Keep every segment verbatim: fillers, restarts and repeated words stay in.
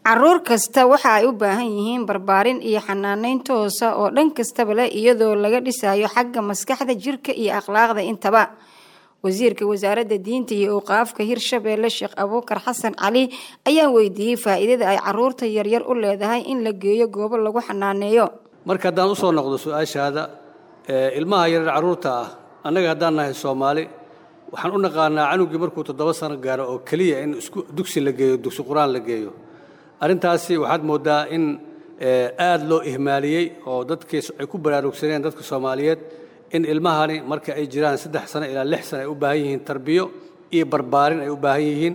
Caruur kasta waxa ay u baahan yihiin barbaarin iyo xanaaneyn toosa oo dhan kastaba leh, iyadoo laga dhisayo xagga maskaxda, jirka iyo akhlaaqda intaba. Wasiirka Wasaaradda Diinta iyo Awqaafka Hirshabeelle, Sheekh Abuukar Xasan Cali, ayaan weydiiyey faa'iidada ay caruurta yaryar u leedahay in la geeyo goobo lagu xanaaneeyo. Marka haddaan usoo noqdo su-aashaada, ilmaha yaryar carruurta ah, annaga haddaan nahay Soomaali waxaan u naqaanaa canugii markuu toddoba sano gaaro oo keliya in isku dugsi la geeyo, dugsi qur-aan la geeyo. Arrintaasi waxaad mooddaa in aad loo ihmaaliyey oo dadkii ay ku baraarugsaneen dadka Soomaaliyeed in ilmahani marka ay jiraan saddex sano ilaa lix sano ay u baahan yihiin tarbiyo iyo barbaarin ay u baahan yihiin,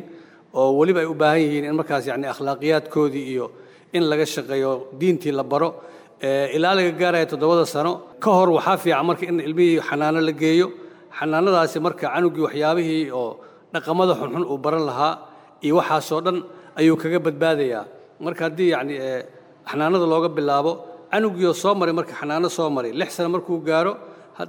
oo weliba ay u baahan yihiin in markaas yacni akhlaaqiyaadkoodii iyo in laga shaqeeyo, diintii la baro ilaa laga gaaraya toddobada sano. Ka hor waxaa fiican marka in ilmihii xanaano la geeyo. Xanaanadaasi marka canugii waxyaabihii oo dhaqamada xunxun uu baran lahaa iyo waxaasoo dhan ayuu kaga badbaadayaa. Marka haddii yacni xanaanada looga bilaabo canugiioo soo maray, marka xanaano soo maray lix sano markuu gaaro,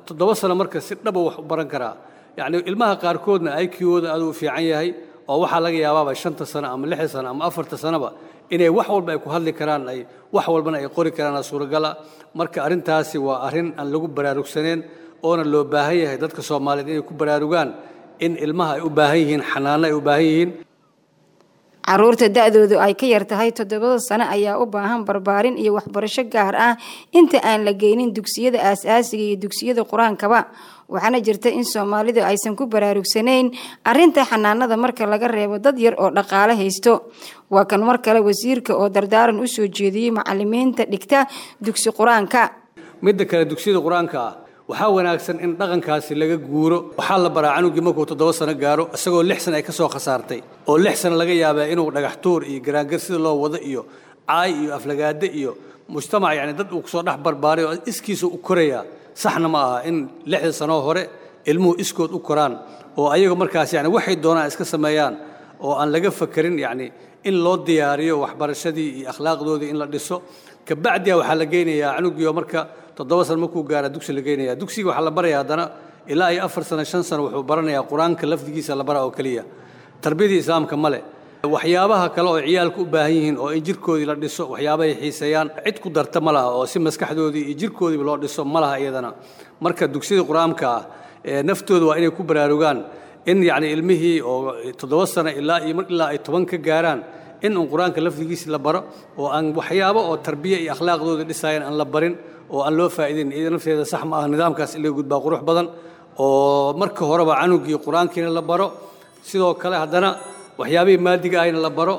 toddoba sano marka si dhaba wax u baran karaa. Yacni ilmaha qaarkoodna I Q-ooda aad u fiican yahay oo waxaa laga yaabaaba shanta sano ama lixda sano ama afarta sanoba inay wax walba ay ku hadli karaan, ay wax walbana ay qori karaan, suuragala. Marka arrintaasi waa arrin aan lagu baraarugsaneen oona loo baahan yahay dadka Soomaaliyeed inay ku baraarugaan in ilmaha ay u baahan yihiin xanaano ay u baahan yihiin. Caruurta da-doodu ay ka yar tahay toddobada sano ayaa u baahan barbaarin iyo waxbarasho gaar ah inta aan la geynin dugsiyada aasaasiga iyo dugsiyada qur-aankaba. Waxaana jirta in Soomaalidu aysan ku baraarugsanayn arinta xanaanada, marka laga reebo dad yar oo dhaqaale haysto. Waa kan mar kale wasiirka oo dardaaran usoo jeediyey macalimiinta dhigta dugsi qur-aanka. Midda kale, dugsiyada qur-aanka ah waxaa wanaagsan in dhaqankaasi laga guuro. Waxaa la baraa canugii markuu toddoba sano gaaro, isagoo lix sano ay ka soo khasaartay, oo lix sano laga yaabaa inuu dhagax tuur iyo garaangar sida loo wado iyo caay iyo aflagaade iyo mujtamac yacni dad uu kusoo dhex barbaaray oo iskiisa u korayaa. Saxna ma aha in lixda sanoo hore ilmuhu iskood u koraan oo ayaga markaas yani waxay doonaan iska sameeyaan oo aan laga fakerin yacni in loo diyaariyo waxbarashadii iyo akhlaaqdoodii in la dhiso. Kabacdiya waxaa la geynayaa canugiio marka toddoba sano markuu gaara dugsi la geynaya. Dugsiga waxaa la baraya haddana ilaa iyo afar sano, shan sano wuxuu baranayaa qur-aanka lafdigiisa la bara oo keliya, tarbiyadii islaamka male. Waxyaabaha kale oo ciyaalku u baahan yihiin oo in jirkoodii la dhiso, waxyaabahay xiiseeyaan cid ku darta ma laha oo si maskaxdoodii iyo jirkoodiiba loo dhiso ma laha iyadana. Marka dugsiyada qur-aanka ah ee naftooda waa inay ku baraarugaan in yacni ilmihii oo toddoba sano ilaa iyo ilaa ay toban ka gaaraan in uun qur-aanka lafdigiisa la baro oo aan waxyaabo oo tarbiya iyo akhlaaqdooda dhisayan aan la barin oo aan loo faa'iideyn, iyada nafteeda sax ma aha. Nidaamkaas in laga gudbaa qurux badan oo marka horeba canugii qur-aankiina la baro, sidoo kale haddana waxyaabihii maadiga ahayna la baro,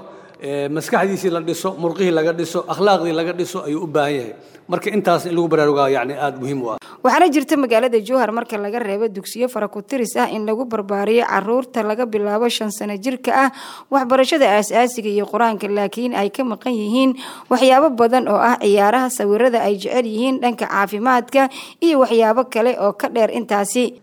maskaxdiisii la dhiso, murqihii laga dhiso, akhlaaqdii laga dhiso ayuu u baahan yahay. Marka intaas in lagu baraarugaa yacni aada muhiim u ah. Waxaana jirta magaalada Jowhar, marka laga reebo dugsiyo faraku-tiris ah, in lagu barbaariyo caruurta laga bilaabo shan sano jirka ah waxbarashada aasaasiga iyo qur-aanka, laakiin ay ka maqan yihiin waxyaabo badan oo ah ciyaaraha, sawirada ay jecel yihiin, dhanka caafimaadka iyo waxyaabo kale oo ka dheer intaasi.